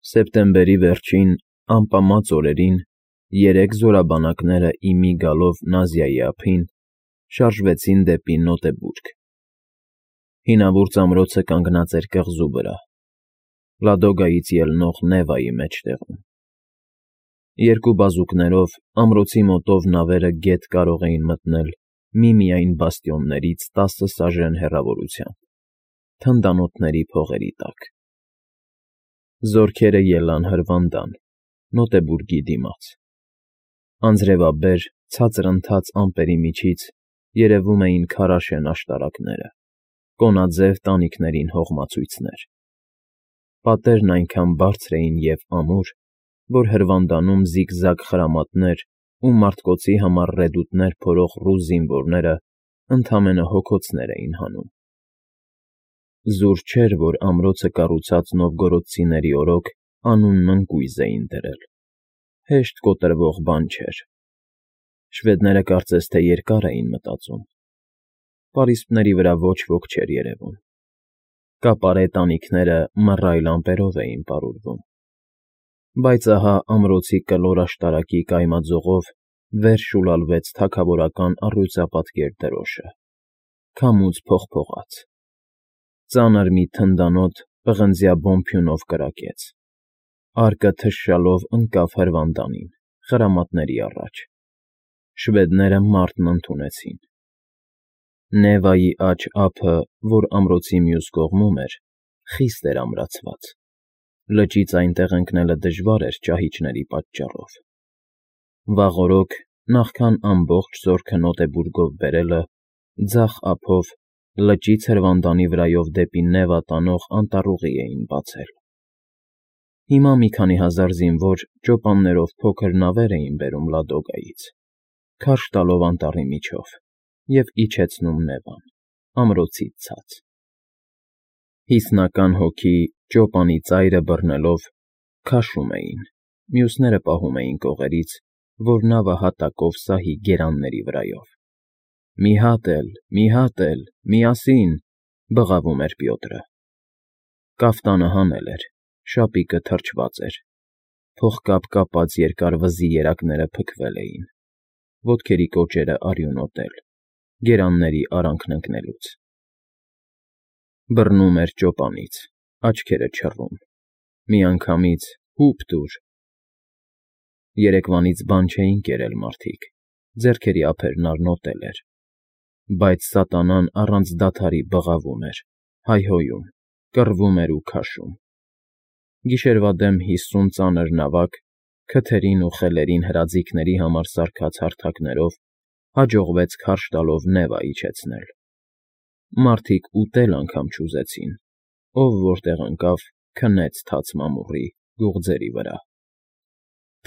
Սեպտեմբերի վերջին ամպամած օրերին երեք զորաբանակները ի մի գալով Նազիայի ափին շարժվեցին դեպի Նոտեբուրգ։ Հինավուրց ամրոցը կանգնած էր կղզու վրա, Լադոգայից ելնող Նևայի մեջտեղում։ Երկու բազուկներով ամրոցի մոտով նավերը գետ կարող էին մտնել միմիայն բաստիոններից 10 սաժեն հեռավորությամբ, թնդանոթների փողերի տակ։ Զորքերը ելան հրվանդան, Նոտեբուրգի դիմաց։ Անձրևաբեր, ցածրընթաց ամպերի միջից երևում էին քարաշեն աշտարակները, կոնաձև տանիքներին հողմացույցներ։ Պատերն այնքան բարձր էին և ամուր, որ հրվանդանում զիգզագ խրամատներ ու մարդկոցի համար ռեդուտներ փորող ռուս զինվորները ընդամենը հոգոցներ էին հանում։ Զուր չէր, որ ամրոցը կառուցած նովգորոդցիների օրոք անունն ընկույզ էին դրել։ Հեշտ կոտրվող բան չէր։ Շվեդները կարծես թե երկար էին մտածում։ Պարիսպների վրա ոչ ոք չէր երևում։ Կապարե տանիքները մռայլ ամպերով էին պարուրվում։ Բայց ահա ամրոցի կլոր աշտարակի կայմաձողով վեր շուլալվեց թագավորական առյուծապատկեր դրոշը, քամուց փողփողաց։ Ծանր մի թնդանոթ պղնձյա բոմփյունով կրակեց։ Արկը թշշալով ընկավ հրվանդանին, խրամատների առաջ։ Շվեդները մարտն ընդունեցին։ Նևայի աջ ափը, որ ամրոցի մյուս կողմում էր, խիստ էր ամրացված։ Լճից այնտեղ ընկնելը դժվար էր ճահիճների պատճառով։ Վաղօրոք, նախքան ամբողջ զորքը Նոտեբուրգով բերելը, ձախ ափով լճից հրվանդանի վրայով դեպի Նևա տանող անտառուղի էին բացել։ Հիմա մի քանի հազար զինվոր ճոպաններով փոքր նավեր էին բերում Լադոգայից, քարշ տալով անտառի միջով և իջեցնում Նևան, ամրոցից ցած։ Հիսնական հոգի, ճոպանի ծայրը բռնելով, քաշում էին, մյուսները պահում էին կողերից, որ նավը հատակով սահի գերանների վրայով։ «Մի հատ էլ, միասին», բղավում էր Պյոտրը։ Կաֆտանը հանել էր, շապիկը թրջված էր, փողկապ կապած երկար վզի երակները փքվել էին, ոտքերի կոճերը արյունոտել, գերանների արանքն ընկնելուց։ Բռնում էր ճոպանից, աչքերը չռում, միանգամից հո՛ւպ տուր։ Երեկվանից բան չէին կերել մարդիկ, ձեռքերի ափերն արնոտել էր, բայց սատանան առանց դադարի բղավում էր, հայհոյում, կռվում էր ու քաշում։ Գիշերվա դեմ 50 ծանր նավակ, քթերին ու խելերին հրաձիգների համար սարքած հարթակներով հաջողվեց քարշ տալով Նևա իջեցնել։ Մարդիկ ուտել անգամ չուզեցին, ով որտեղ ընկավ, քնեց թաց մամուռի, գուղձերի վրա։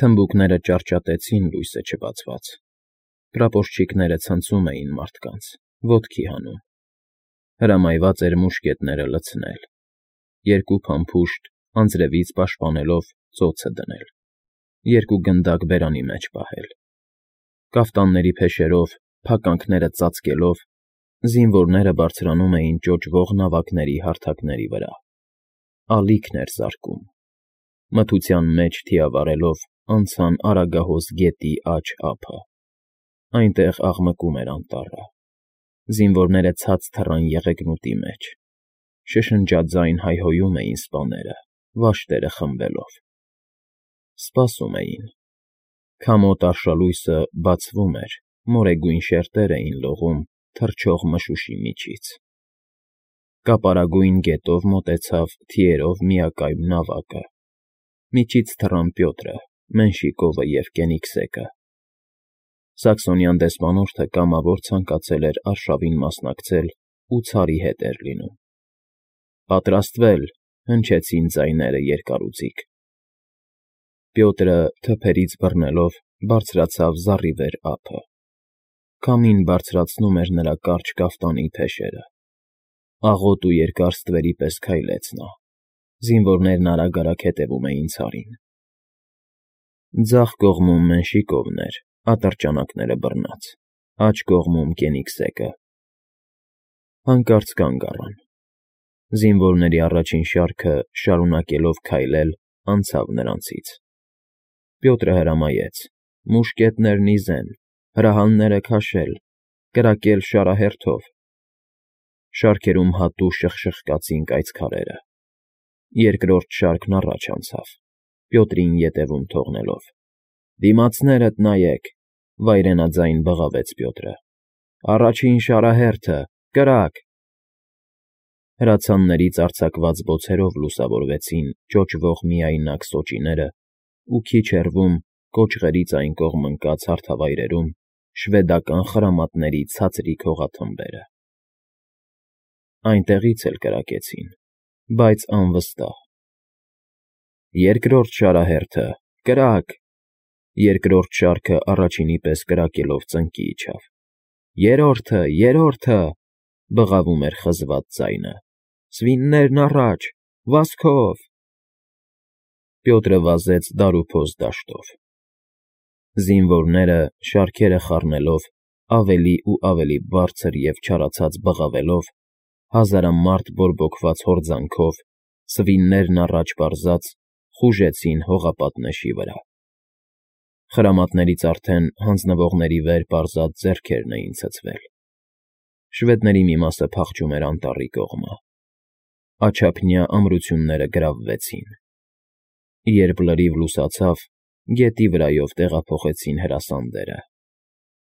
Թմբուկները ճարճատեցին լույսը չբացված։ Պրապորչիկները ցնցում էին մարդկանց, ոտքի հանում։ Հրամայված էր մուշկետները լցնել, երկու փամփուշտ անձրևից պաշտպանելով ծոցը դնել, երկու գնդակ բերանի մեջ պահել։ Կաֆտանների փեշերով, փականքները ծածկելով, զինվորները բարձրանում էին ճոճվող նավակների հարթակների վրա։ Ալիքն էր զարկում։ Մթության մեջ թիավարելով անցան Արագահոս գետի աջ ափը։ Այնտեղ աղմկում էր անտառը։ Զինվորները ցած թռան եղեգնուտի մեջ։ Շշնջաձայն հայհոյում էին սպաները, վաշտերը խմբելով։ Սպասում էին։ Քամոտ արշալույսը բացվում էր, մորեգույն շերտեր էին լողում թռչող մշուշի միջից։ Կապարագույն գետով մոտեցավ թիերով միակայմ նավակը։ Միջից թռան Պյոտրը, Մենշիկովը և Կենիգսեկը։ Սաքսոնյան դեսպանորդը կամավոր ցանկացել էր արշավին մասնակցել ու ցարի հետ էր լինում։ «Պատրաստվել», հնչեցին ձայները երկարուձիգ։ Պյոտրը, թփերից բռնելով, բարձրացավ զառիվեր ափը։ Քամին բարձրացնում էր նրա կարճ կաֆտանի փեշերը։ Աղոտ ու երկար ստվերի պես քայլեց նա։ Զինվորներն արագ֊արագ հետևում էին ցարին։ Ձախ կողմում Մենշիկովն էր, ատրճանակները բռնած, աջ կողմում Կենիգսեկը։ Հանկարծ կանգ առան։ Զինվորների առաջին շարքը, շարունակելով քայլել, անցավ նրանցից։ Պյոտրը հրամայեց. մուշկետներն ի զեն, հրահանները քաշել, կրակել շարահերթով։ Շարքերում հատու շխկացին կայծքարերը։ Երկրորդ շարքն առաջ անցավ, Պյոտրին ետևում թողնելով։ Դիմացներդ նայեք, վայրենաձայն բղավեց Պյոտրը։ Առաջին շարահերթը, կրակ։ Հրացաններից արձակված բոցերով լուսավորվեցին ճոճվող միայնակ սոճիները ու քիչ հեռվում, կոճղերից այն կողմ ընկած հարթավայրերում, շվեդական խրամատների ցածրիկ հողաթմբերը։ Այնտեղից էլ կրակեցին, բայց անվստահ։ Երկրորդ շարահերթը, կրակ։ Երկրորդ շարքը առաջինի պես կրակելով ծնկի իջավ։ Երրորդը, բղավում էր խզված ձայնը։ Սվիններն առաջ, վազքով։ Պյոտրը վազեց դարուփոս դաշտով։ Զինվորները, շարքերը խառնելով, ավելի ու ավելի բարձր և չարացած բղավելով, հազարամարդ բորբոքված հորձանքով, սվիններն առաջ պարզած, խուժեցին հողապատնեշի վրա։ Խրամատներից արդեն հանձնվողների վեր պարզած ձեռքերն էին ցցվել։ Շվեդների մի մասը փախչում էր անտառի կողմը։ Աջափնյա ամրությունները գրավվեցին։ Երբ լրիվ լուսացավ, գետի վրայով տեղափոխեցին հրասանդերը։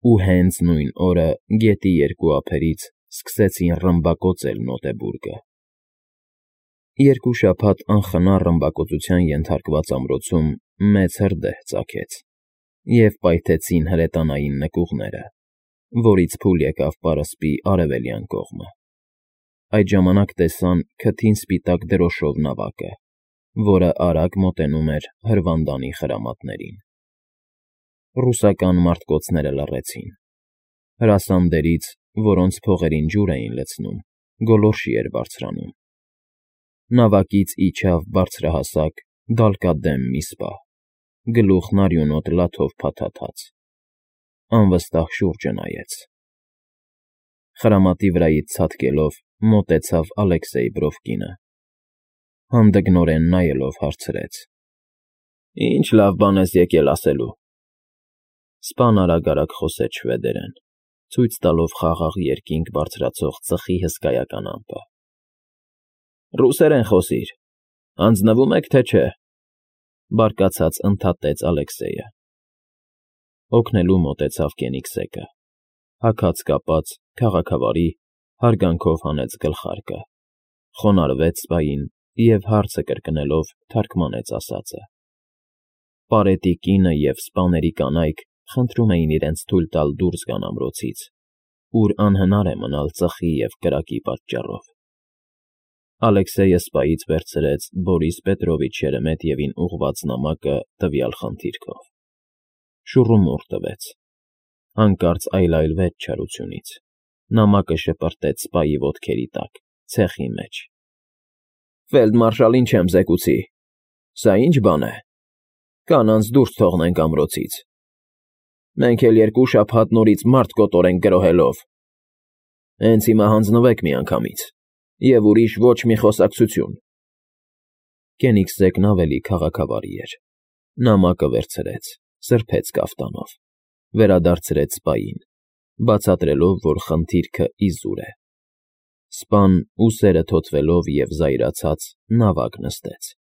Ու հենց նույն օրը գետի երկու ափերից սկսեցին ռմբակոծել Նոտեբուրգը։ 2 շաբաթ անխնա ռմբակոծության ենթարկված ամրոցում մեծ հրդեհ ծագեց, և պայթեցին հրետանային նկուղները, որից փուլ եկավ պարսպի արևելյան կողմը։ Այդ ժամանակ տեսան քթին սպիտակ դրոշով նավակը, որը արագ մոտենում էր հրվանդանի խրամատներին։ Ռուսական մարտկոցները լռեցին։ Հրասանդերից, որոնց փողերին ջուր էին լցնում, գոլորշի էր բարձրանում։ Նավակից իջավ բարձրահասակ, դալկադեմ մի սպա, գլուխն արյունոտ լաթով փաթաթած։ Անվստահ շուրջը նայեց։ Խրամատի վրայից ցատկելով մոտեցավ Ալեքսեյ Բրովկինը։ Հանդգնորեն նայելով հարցրեց. Ինչ լավ բան ես եկել ասելու։ Սպան արագ խոսեց շվեդերեն, ցույց տալով խաղաղ երկինք բարձրացող ծխի հսկայական ամպը։ Ռուսերեն խոսիր, հանձնվում եք, թե չէ, բարկացած ընդհատեց Ալեքսեյը։ Օգնելու մոտեցավ Կենիգսեկը, հագած կապած, քաղաքավարի, հարգանքով հանեց գլխարկը, խոնարհվեց սպային և հարցը կրկնելով թարգմանեց ասածը։ Պարետի կինը և սպաների կանայք խնդրում էին իրենց թույլ տալ դուրս գան ամրոցից, ուր անհնար է մնալ ծխի և կրակի պատճառով։ Ալեքսեյը սպայից վերցրեց Բորիս Պետրովիչ Շերեմետիևին ուղղված նամակը տվյալ խնդիրքով։ Շուռումուռ տվեց։ Հանկարծ այլայլվեց չարությունից։ Նամակը շպրտեց սպայի ոտքերի տակ, ցեխի մեջ։ Ֆելդմարշալին չեմ զեկուցի։ Սա ի՞նչ բան է։ Կանանց դուրս թողնենք ամրոցից։ Մենք էլ 2 շաբաթ նորից մարդ կոտորենք գրոհելով։ Հենց հիմա հանձնվեք միանգամից, և ուրիշ ոչ մի խոսակցություն։ Կենիգսեկն ավելի քաղաքավարի էր։ Նամակը վերցրեց, սրբեց կաֆտանով, վերադարձրեց սպային, բացատրելով, որ խնդիրքը իզուր է։ Սպան, ուսերը թոթվելով և զայրացած, նավակ նստեց։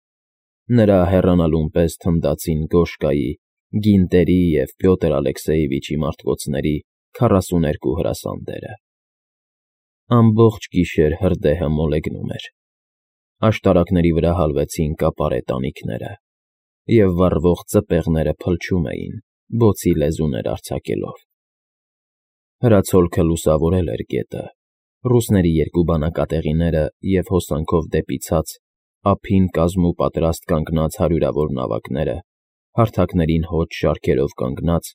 Նրա հեռանալուն պես թնդացին Գոշկայի, Գինտերի և Պյոտր Ալեքսեևիչի մարտկոցների 42 հրասանդերը։ Ամբողջ գիշեր հրդեհը մոլեգնում էր։ Աշտարակների վրա հալվեցին կապարե տանիքները, և վառվող ծպեղները փլչում էին, բոցի լեզուներ արձակելով։ Հրացոլքը լուսավորել էր գետը, ռուսների 2 բանակատեղիները և հոսանքով դեպի ցած, ափին կազմու պատրաստ կանգնած հարյուրավոր նավակները, հարթակներին հոծ շարքերով կանգնած,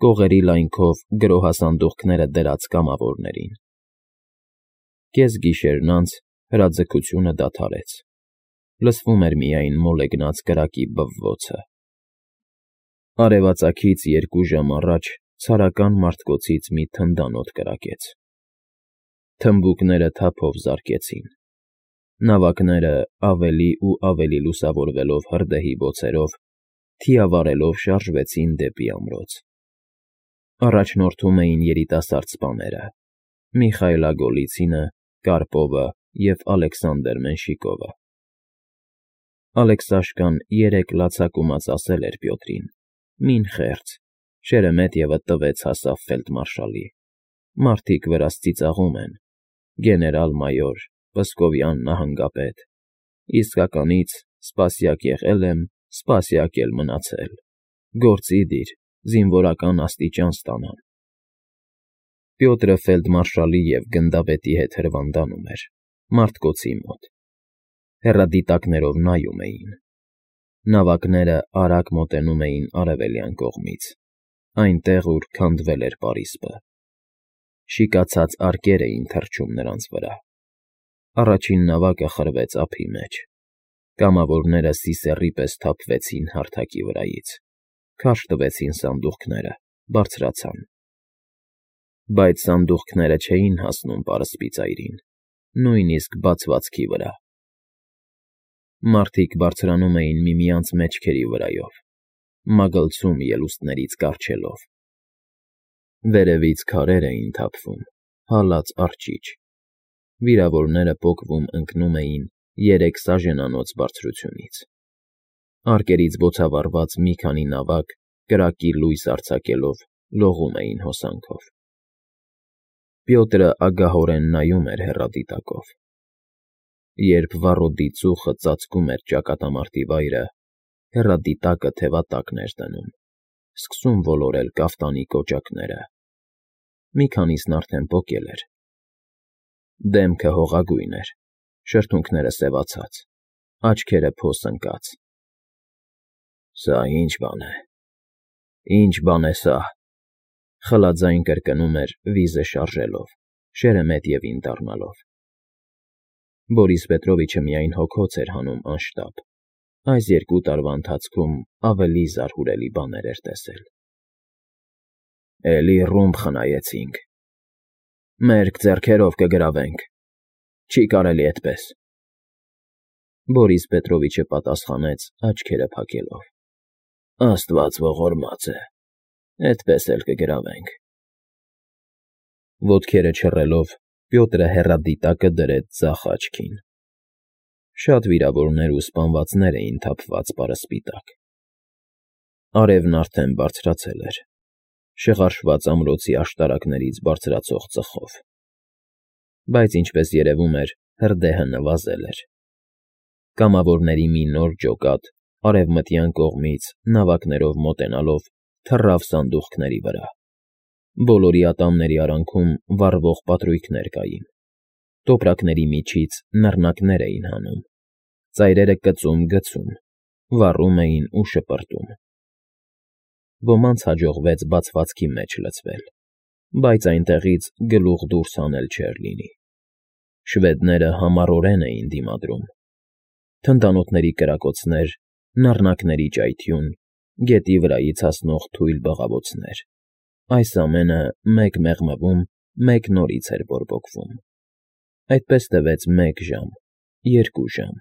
կողերի լայնքով գրոհասանդուղքները դրած կամավորներին։ Կեսգիշերն անց հրաձգությունը դադարեց։ Լսվում էր միայն մոլեգնած կրակի բվվոցը։ Արևածագից 2 ժամ առաջ ցարական մարտկոցից մի թնդանոթ կրակեց։ Թմբուկները թափով զարկեցին։ Նավակները ավելի ու ավելի լուսավորվելով հրդեհի բոցերով, թիավարելով շարժվեցին դեպի ամրոց։ Առաջնորդում էին երիտասարդ սպաները՝ Միխայիլա Գոլիցինը, Կարպովը և Ալեքսանդր Մենշիկովը։ Ալեքսաշկան երեկ լացակումած ասել էր Պյոտրին. «Մին խեղճ, Շերեմետյևը տվեց հասավ ֆելդմարշալի։ Մարդիկ վրաս ծիծաղում են. գեներալ֊մայոր, Պսկովյան նահանգապետ, իսկականից սպասյակ եղել եմ, սպասյակ էլ մնացել, գործի դիր, զինվորական աստիճան ստանամ»։ Պյոտրը ֆելդմարշալի և գնդապետի հետ հրվանդանում էր, մարտկոցի մոտ։ Հեռադիտակներով նայում էին։ Նավակները արագ մոտենում էին արևելյան կողմից, այնտեղ, ուր քանդվել էր պարիսպը։ Շիկացած արկեր էին թռչում նրանց վրա։ Առաջին նավակը խրվեց ափի մեջ։ Կամավորները սիսեռի պես թափվեցին հարթակի վրայից, քարշ տվեցին սանդուղքները, բարձրացան։ Բայց սանդուղքները չէին հասնում պարսպի ծայրին, նույնիսկ բացվածքի վրա։ Մարդիկ բարձրանում էին միմյանց մեջքերի վրայով, մագլցում ելուստներից կառչելով։ Վերևից քարեր էին թափվում, հալած արջիչ։ Վիրավորները պոկվում ընկնում էին 3 սաժենանոց բարձրությունից։ Արկերից բոցավառված մի քանի նավակ, կրակի լույս արձակելով, լողում էին հոսանքով։ Պյոտրը ագահորեն նայում էր հեռադիտակով։ Երբ վառոդի ծուխը ծածկում էր ճակատամարտի վայրը, հեռադիտակը թևատակն էր դնում, սկսում ոլորել կաֆտանի կոճակները։ Մի քանիսն արդեն պոկել էր։ Դեմքը հողագույն էր, շրթունքները սևացած, աչքերը փոս ընկած։ «Սա ի՞նչ բան է, ի՞նչ բան է սա», խլաձայն կրկնում էր վիզը շարժելով, Շերեմետյևին դառնալով։ Բորիս Պետրովիչը միայն հոգոց էր հանում անշտապ, այս 2 տարվա ընթացքում ավելի զարհուրելի բաներ էր տեսել։ «Էլի ռումբ խնայեցինք, մերկ ձեռքերով կգրավենք, չի կարելի էդպես», Բորիս Պետրովիչը պատասխանեց աչքերը փակելով։ «Աստված ողորմած է, էդպես էլ կգրավենք»։ Ոտքերը չռելով, Պյոտրը հեռադիտակը դրեց ձախ աչքին։ Շատ վիրավորներ ու սպանվածներ էին թափված պարսպի տակ։ Արևն արդեն բարձրացել էր, շղարշված ամրոցի աշտարակներից բարձրացող ծխով։ Բայց, ինչպես երևում էր, հրդեհը նվազել էր։ Կամավորների մի նոր ջոկատ արևմտյան կողմից նավակներով մոտենալով թռավ սանդուղքների վրա։ Բոլորի ատամների արանքում վառվող պատրույգներ կային։ Տոպրակների միջից նռնակներ էին հանում։ Ծայրերը կծում֊գցում, վառում էին ու շպրտում։ Ոմանց հաջողվեց բացվածքի մեջ լցվել, բայց այնտեղից գլուխ դուրս հանել չէր լինի։ Շվեդները համառորեն էին դիմադրում։ Թնդանոթների կրակոցներ, նռնակների ճայթյուն, գետի վրայից հասնող թույլ բղավոցներ։ Այս ամենը մեկ մեղմվում, մեկ նորից էր բորբոքվում։ Այդպես տևեց 1 ժամ, 2 ժամ։